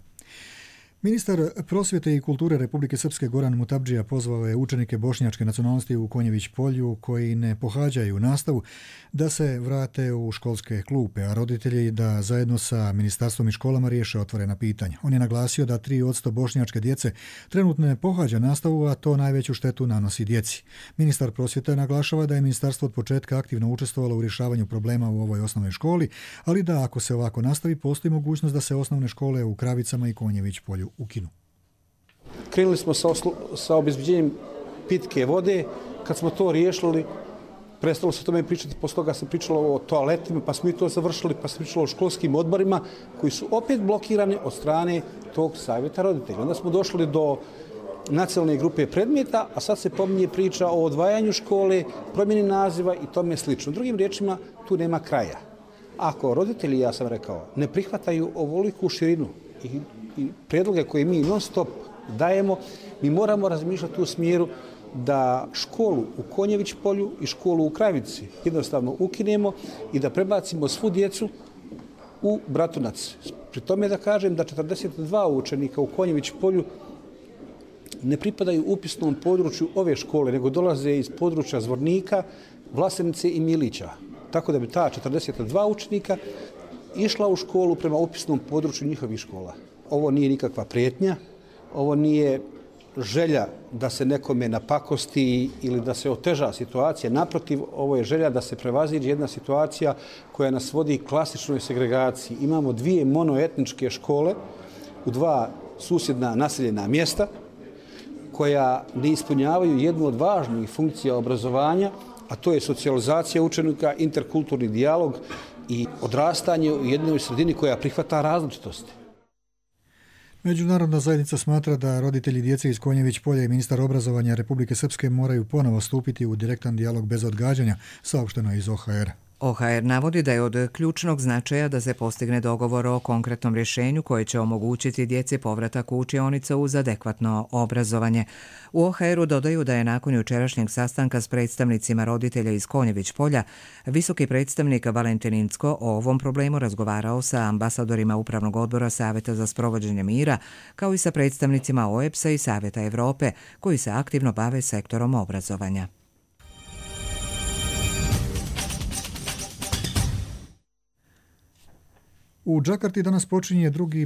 [SPEAKER 2] Ministar prosvjete i kulture Republike Srpske Goran Mutabdžija pozvao je učenike bošnjačke nacionalnosti u Konjević polju koji ne pohađaju nastavu da se vrate u školske klupe, a roditelji da zajedno sa ministarstvom i školama riješe otvorena pitanja. On je naglasio da tri posto bošnjačke djece trenutno ne pohađa nastavu, a to najveću štetu nanosi djeci. Ministar prosvjete naglašava da je ministarstvo od početka aktivno učestvovalo u rješavanju problema u ovoj osnovnoj školi, ali da ako se ovako nastavi, postoji mogućnost da se osnovne škole u Kravicama i Konjević polju ukinu.
[SPEAKER 6] Krenuli smo sa, oslo, sa obezbeđenjem pitke vode. Kad smo to riješili, prestalo se o tome pričati, posle toga se pričalo o toaletima, pa smo i to završili, pa se pričalo o školskim odborima koji su opet blokirani od strane tog savjeta roditelja. Onda smo došli do nacionalne grupe predmeta, a sad se pominje priča o odvajanju škole, promjeni naziva i tome slično. Drugim riječima, tu nema kraja. Ako roditelji, ja sam rekao, ne prihvataju ovoliku širinu i, i predloge koje mi non stop dajemo, mi moramo razmišljati u smjeru da školu u Konjević polju i školu u Kravici jednostavno ukinemo i da prebacimo svu djecu u Bratunac. Pri tome da kažem da četrdeset dva učenika u Konjević polju ne pripadaju upisnom području ove škole, nego dolaze iz područja Zvornika, Vlasenice i Milića. Tako da bi ta četrdeset dva učenika išla u školu prema upisnom području njihovih škola. Ovo nije nikakva prijetnja, ovo nije želja da se nekome napakosti ili da se oteža situacija. Naprotiv, ovo je želja da se prevaziđe jedna situacija koja nas vodi klasičnoj segregaciji. Imamo dvije monoetničke škole u dva susjedna naseljena mjesta koja ne ispunjavaju jednu od važnijih funkcija obrazovanja, a to je socijalizacija učenika, interkulturni dijalog i odrastanje u jednoj sredini koja prihvata različitosti.
[SPEAKER 2] Međunarodna zajednica smatra da roditelji djece iz Konjević polja i ministar obrazovanja Republike Srpske moraju ponovo stupiti u direktan dijalog bez odgađanja, saopšteno je iz O H R.
[SPEAKER 1] O H R navodi da je od ključnog značaja da se postigne dogovor o konkretnom rješenju koje će omogućiti djeci povratak u učionice uz adekvatno obrazovanje. U O H R-u dodaju da je nakon jučerašnjeg sastanka s predstavnicima roditelja iz Konjević polja visoki predstavnik Valentin Incko o ovom problemu razgovarao sa ambasadorima Upravnog odbora Savjeta za sprovođenje mira, kao i sa predstavnicima O E P S-a i Savjeta Evrope, koji se aktivno bave sektorom obrazovanja.
[SPEAKER 2] U Džakarti danas počinje drugi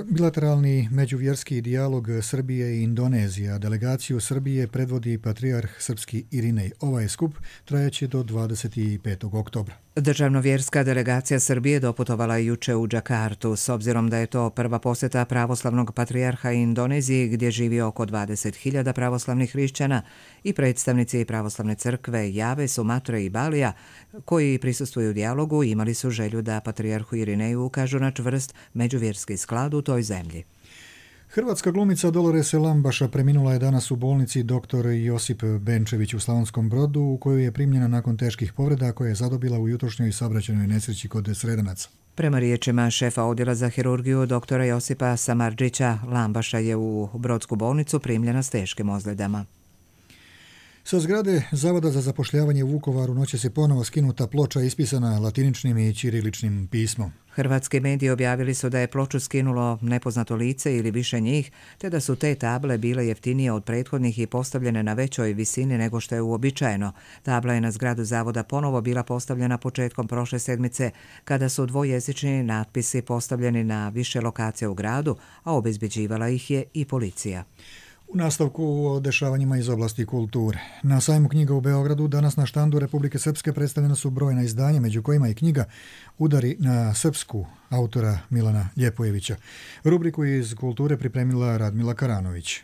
[SPEAKER 2] bilateralni međuvjerski dijalog Srbije i Indonezije, a delegaciju Srbije predvodi patrijarh srpski Irinej. Ovaj skup trajaće do dvadeset petog oktobra.
[SPEAKER 1] Državno-vjerska delegacija Srbije doputovala juče u Džakartu, s obzirom da je to prva posjeta pravoslavnog patrijarha Indoneziji, gdje živi oko dvadeset hiljada pravoslavnih hrišćana, i predstavnici pravoslavne crkve Jave, Sumatre i Balija, koji prisustvuju dijalogu, imali su želju da patrijarhu Irineju ukažu na čvrst međuvjerski sklad u toj zemlji.
[SPEAKER 2] Hrvatska glumica Dolores Lambaša preminula je danas u bolnici doktor Josip Benčević u Slavonskom Brodu, u kojoj je primljena nakon teških povreda koje je zadobila u jutrošnjoj saobraćajnoj nesreći kod Sredanaca.
[SPEAKER 1] Prema riječima šefa odjela za hirurgiju doktora Josipa Samardžića, Lambaša je u Brodsku bolnicu primljena s teškim ozljedama.
[SPEAKER 2] Sa zgrade Zavoda za zapošljavanje u Vukovaru noće se ponovo skinuta ploča ispisana latiničnim i ćiriličnim pismom.
[SPEAKER 1] Hrvatski mediji objavili su da je ploču skinulo nepoznato lice ili više njih, te da su te table bile jeftinije od prethodnih i postavljene na većoj visini nego što je uobičajeno. Tabla je na zgradu Zavoda ponovo bila postavljena početkom prošle sedmice, kada su dvojezični natpisi postavljeni na više lokacija u gradu, a obezbeđivala ih je i policija.
[SPEAKER 2] U nastavku o dešavanjima iz oblasti kulture. Na sajmu knjiga u Beogradu danas na štandu Republike Srpske predstavljena su brojna izdanja, među kojima i knjiga Udari na srpsku autora Milana Ljepojevića. Rubriku iz kulture pripremila Radmila Karanović.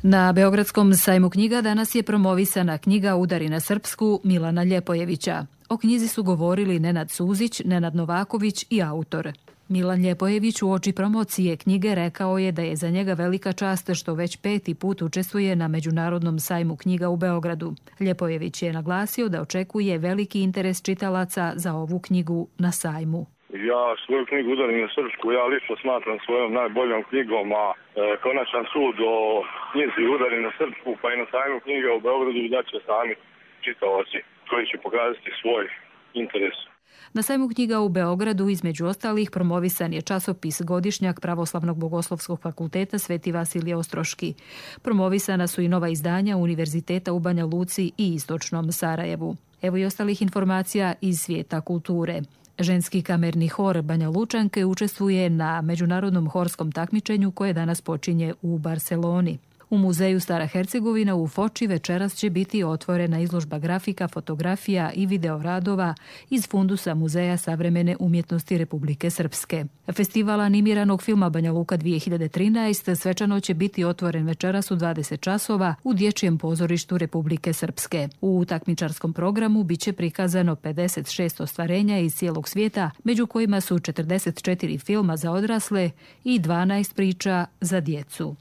[SPEAKER 8] Na Beogradskom sajmu knjiga danas je promovisana knjiga Udari na srpsku Milana Ljepojevića. O knjizi su govorili Nenad Suzić, Nenad Novaković i autor. Milan Ljepojević u oči promocije knjige rekao je da je za njega velika čast što već peti put učestvuje na Međunarodnom sajmu knjiga u Beogradu. Ljepojević je naglasio da očekuje veliki interes čitalaca za ovu knjigu na sajmu.
[SPEAKER 9] Ja svoju knjigu Udari na srpsku ja lično smatram svojom najboljom knjigom, a e, konačan sud o knjizi Udari na srpsku pa i na sajmu knjiga u Beogradu da će sami čitalaci koji će pokazati svoj interesu.
[SPEAKER 8] Na sajmu knjiga u Beogradu između ostalih promovisan je časopis Godišnjak Pravoslavnog bogoslovskog fakulteta Sveti Vasilije Ostroški. Promovisana su i nova izdanja Univerziteta u Banja Luci i Istočnom Sarajevu. Evo i ostalih informacija iz svijeta kulture. Ženski kamerni hor Banja Lučanke učestvuje na međunarodnom horskom takmičenju koje danas počinje u Barceloni. U muzeju Stara Hercegovina u Foči večeras će biti otvorena izložba grafika, fotografija i videoradova iz fundusa Muzeja savremene umjetnosti Republike Srpske. Festival animiranog filma Banja Luka dvije hiljade trinaest svečano će biti otvoren večeras u dvadeset časova u Dječjem pozorištu Republike Srpske. U takmičarskom programu biće prikazano pedeset šest ostvarenja iz cijelog svijeta, među kojima su četrdeset četiri filma za odrasle i dvanaest priča za djecu.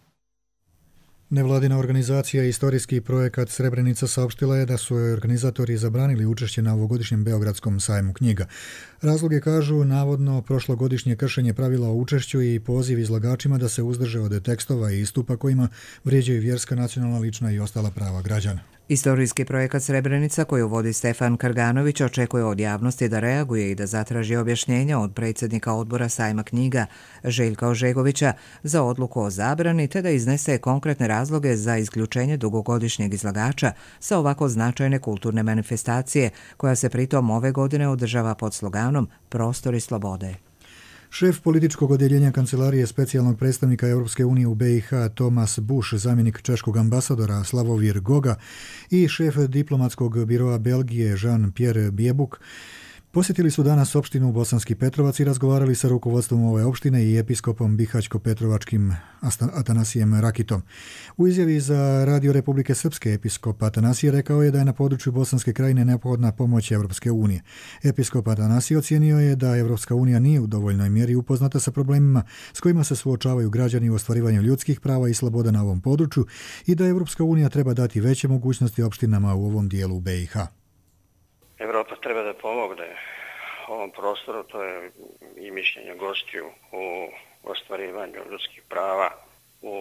[SPEAKER 2] Nevladina organizacija Istorijski projekat Srebrenica saopštila je da su joj organizatori zabranili učešće na ovogodišnjem Beogradskom sajmu knjiga. Razloge kažu navodno prošlogodišnje kršenje pravila o učešću i poziv izlagačima da se uzdrže od tekstova i istupa kojima vrijeđaju vjerska, nacionalna, lična i ostala prava građana.
[SPEAKER 1] Istorijski projekat Srebrenica koju vodi Stefan Krganović očekuje od javnosti da reaguje i da zatraži objašnjenja od predsjednika odbora sajma knjiga Željka Ožegovića za odluku o zabrani te da iznese konkretne razloge za isključenje dugogodišnjeg izlagača sa ovako značajne kulturne manifestacije koja se pritom ove godine održava pod sloganom Prostori slobode.
[SPEAKER 2] Šef političkog odjeljenja Kancelarije specijalnog predstavnika Europske unije u B i H Thomas Bush, zamjenik češkog ambasadora Slavomir Goga i šef diplomatskog biroa Belgije Jean-Pierre Biebuk posjetili su danas opštinu Bosanski Petrovac i razgovarali sa rukovodstvom ove opštine i episkopom Bihaćko-Petrovačkim Atanasijem Rakitom. U izjavi za Radio Republike Srpske episkop Atanasije rekao je da je na području Bosanske krajine neophodna pomoć Evropske unije. Episkop Atanasije ocijenio je da Evropska unija nije u dovoljnoj mjeri upoznata sa problemima s kojima se suočavaju građani u ostvarivanju ljudskih prava i sloboda na ovom području i da Evropska unija treba dati veće mogućnosti opštinama u ovom dijelu B i H.
[SPEAKER 10] Evropa treba da pomogne ovom prostoru, to je i mišljenje gostiju u ostvarivanju ljudskih prava, u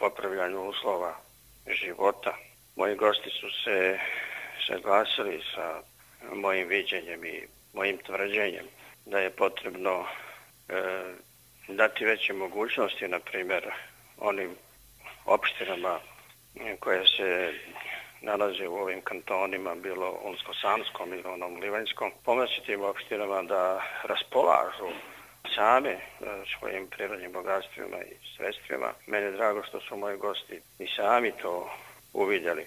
[SPEAKER 10] popravljanju uslova života. Moji gosti su se saglasili sa mojim viđenjem i mojim tvrđenjem da je potrebno e, dati veće mogućnosti, na primjer, onim opštinama koje se nalaze u ovim kantonima, bilo Unsko-Sanskom ili onom Livanjskom, pomoći tim opštinama da raspolažu same svojim prirodnim bogatstvima i sredstvima. Meni je drago što su moji gosti i sami to uvidjeli.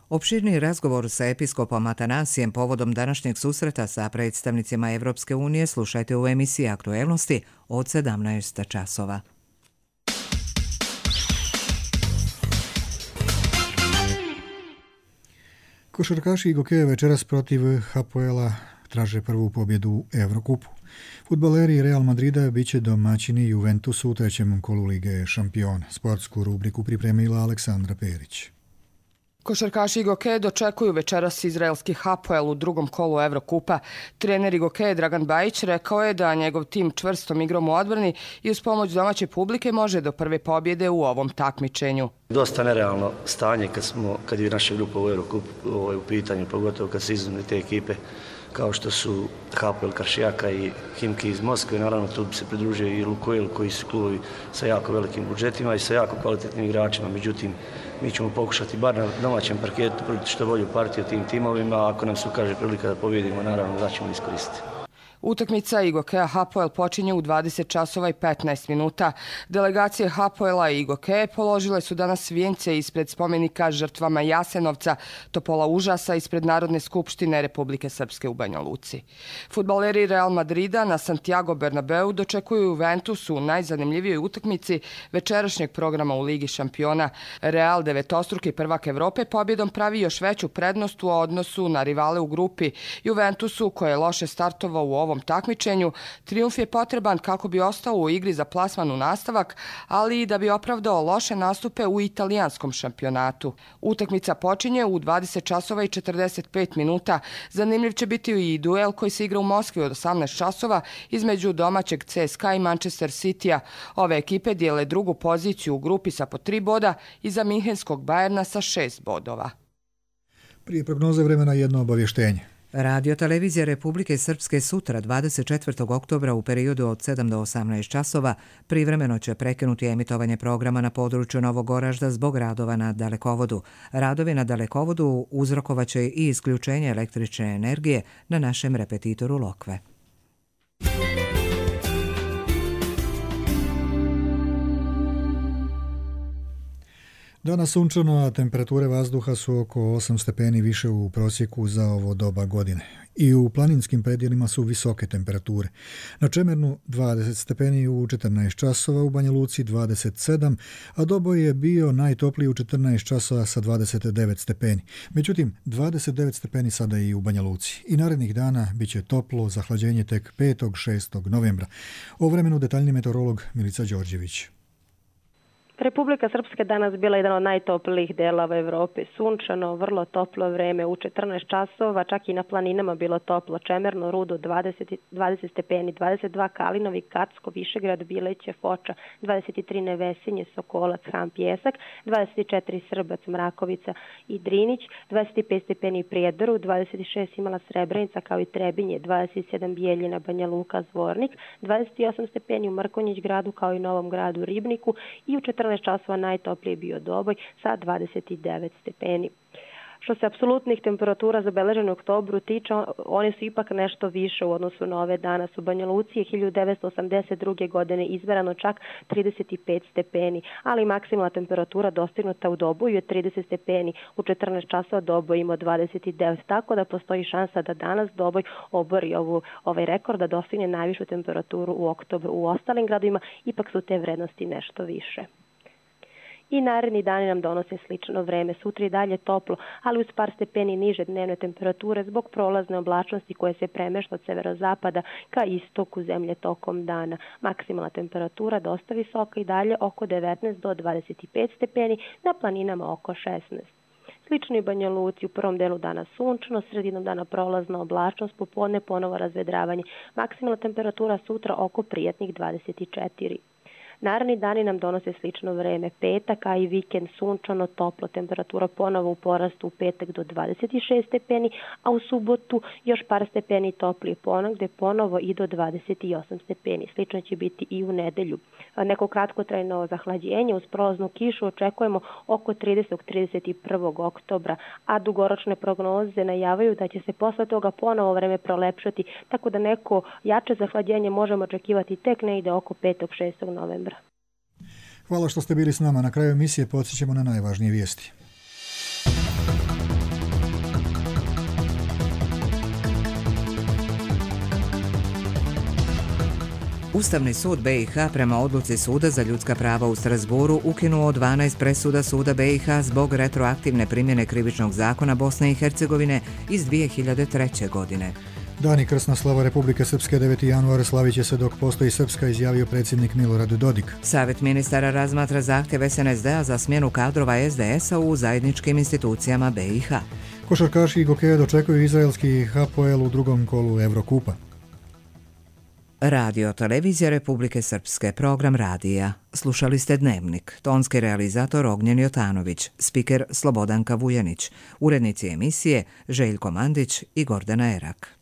[SPEAKER 1] Opširni razgovor sa episkopom Atanasijem povodom današnjeg susreta sa predstavnicima Evropske unije slušajte u emisiji Aktuelnosti od sedamnaest časova.
[SPEAKER 2] Košarkaši Igokeja večeras protiv Hapoela traže prvu pobjedu u Evrokupu. Fudbaleri Real Madrida biće domaćini Juventusu u trećem kolu Lige šampiona. Sportsku rubriku pripremila Aleksandra Perić.
[SPEAKER 11] Košarkaši Igokeje dočekuju večeras izraelski Hapoel u drugom kolu Evrokupa. Trener Igokeje Dragan Bajić rekao je da njegov tim čvrstom igrom u odbrani i uz pomoć domaće publike može do prve pobjede u ovom takmičenju.
[SPEAKER 12] Dosta nerealno stanje kad, smo, kad je naša grupa u Evrokupu ovaj, u pitanju, pogotovo kad se izuzme te ekipe kao što su Hapoel Karšijaka i Himki iz Moskve. Naravno, tu bi se pridružio i Lukoil, koji su klubovi sa jako velikim budžetima i sa jako kvalitetnim igračima. Međutim, mi ćemo pokušati bar na domaćem parketu probiti što bolju partiju tim timovima, a ako nam se ukaže prilika da pobjedimo, naravno da ćemo iskoristiti.
[SPEAKER 11] Utakmica Igokeja Hapoel počinje u dvadeset časova i petnaest minuta. Delegacije Hapoela i Igokeje položile su danas vijence ispred spomenika žrtvama Jasenovca, Topola užasa ispred Narodne skupštine Republike Srpske u Banja Luci. Fudbaleri Real Madrida na Santiago Bernabeu dočekuju Juventus u najzanimljivijoj utakmici večerašnjeg programa u Ligi šampiona. Real, devetostruki prvak Evrope, pobjedom pravi još veću prednost u odnosu na rivale u grupi. Juventusu, koje je loše startovao u ovom takmičenju, trijumf je potreban kako bi ostao u igri za plasman u nastavak, ali i da bi opravdao loše nastupe u italijanskom šampionatu. Utakmica počinje u dvadeset časova i četrdeset pet minuta. Zanimljiv će biti i duel koji se igra u Moskvi od osamnaest časova između domaćeg C S K A i Manchester Citya. Ove ekipe dijele drugu poziciju u grupi sa po tri boda i za Minhenskog Bajerna sa šest bodova.
[SPEAKER 2] Prije prognoze vremena jedno obavještenje.
[SPEAKER 1] Radio televizija Republike Srpske sutra dvadeset četvrtog oktobra u periodu od sedam do osamnaest časova privremeno će prekinuti emitovanje programa na području Novog Oražda zbog radova na dalekovodu. Radovi na dalekovodu uzrokovaće i isključenje električne energije na našem repetitoru Lokve.
[SPEAKER 2] Danas sunčano, a temperature vazduha su oko osam stepeni više u prosjeku za ovo doba godine. I u planinskim predjelima su visoke temperature. Na Čemernu dvadeset stepeni u četrnaest časova, u Banja Luci dvadeset sedam, a doboj je bio najtopliji u četrnaest časova sa dvadeset devet stepeni. Međutim, dvadeset devet stepeni sada i u Banja Luci. I narednih dana bit će toplo, zahlađenje tek petog i šestog novembra. O vremenu detaljni meteorolog Milica Đorđević.
[SPEAKER 13] Republika Srpska danas bila jedan od najtoplijih delova Evrope. Sunčano, vrlo toplo vreme u četrnaest časova, čak i na planinama bilo toplo. Čemerno, Rudo dvadeset, dvadeset stepeni, dvadeset dva Kalinovi, Kacko, Višegrad, Bileće, Foča, dvadeset tri Nevesinje, Sokolac, Ham, Pjesak, dvadeset četiri Srbac, Mrakovica i Drinić, dvadeset pet stepeni Prijedoru, dvadeset šest imala Srebrenica kao i Trebinje, dvadeset sedam Bijeljina, Banja Luka, Zvornik, dvadeset osam stepeni u Mrkonjić gradu kao i Novom gradu Ribniku i u četrnaest časova najtoplije bio Doboj sa dvadeset devet stepeni. Što se apsolutnih temperatura zabeleženih u oktobru tiče, one su ipak nešto više u odnosu na ove danas. U Banja Luci je hiljadu devetsto osamdeset druge. godine izmerano čak trideset pet stepeni, ali maksimalna temperatura dostignuta u Doboju je trideset stepeni. U četrnaest časova Doboj ima dvadeset devet, tako da postoji šansa da danas Doboj obori ovu, ovaj rekord, da dostigne najvišu temperaturu u oktobru. U ostalim gradovima ipak su te vrednosti nešto više. I naredni dani nam donose slično vreme. Sutra i dalje toplo, ali uz par stepeni niže dnevne temperature zbog prolazne oblačnosti koje se premešta od severozapada ka istoku zemlje tokom dana. Maksimalna temperatura dosta visoka i dalje oko devetnaest do dvadeset pet stepeni, na planinama oko šesnaest. Slično i Banja Luci, u prvom delu dana sunčno, sredinom dana prolazna oblačnost, popodne ponovo razvedravanje. Maksimalna temperatura sutra oko prijatnih dvadeset četiri. Naredni dani nam donose slično vreme. Petak, a i vikend sunčano, toplo, temperatura ponovo u porastu u petak do dvadeset šest stepeni, a u subotu još par stepeni toplije ponog, gde ponovo i do dvadeset osam stepeni. Slično će biti i u nedelju. Neko kratkotrajno zahlađenje uz prolaznu kišu očekujemo oko tridesetog do trideset prvog oktobra, a dugoročne prognoze najavaju da će se posle toga ponovo vreme prolepšati, tako da neko jače zahlađenje možemo očekivati tek negde oko petog do šestog novembra.
[SPEAKER 2] Hvala što ste bili s nama. Na kraju emisije podsjećamo na najvažnije vijesti.
[SPEAKER 1] Ustavni sud be i ha prema odluci Suda za ljudska prava u Strasburu ukinuo dvanaest presuda Suda be i ha zbog retroaktivne primjene krivičnog zakona Bosne i Hercegovine iz dvije hiljade treće. godine.
[SPEAKER 2] Dan i krsna slava Republike Srpske deveti januar slavit će se dok postoji Srpska, izjavio predsjednik Milorad Dodik.
[SPEAKER 1] Savjet ministara razmatra zahtjev es en es de a za smjenu kadrova es de es a u zajedničkim institucijama be i ha.
[SPEAKER 2] Košarkaši Igokeja dočekuju izraelski Hapoel u drugom kolu Evrokupa.
[SPEAKER 1] Radio televizija Republike Srpske, program radija. Slušali ste Dnevnik, tonski realizator Ognjen Jotanović, spiker Slobodanka Vujanić, urednici emisije Željko Mandić i Gordana Erak.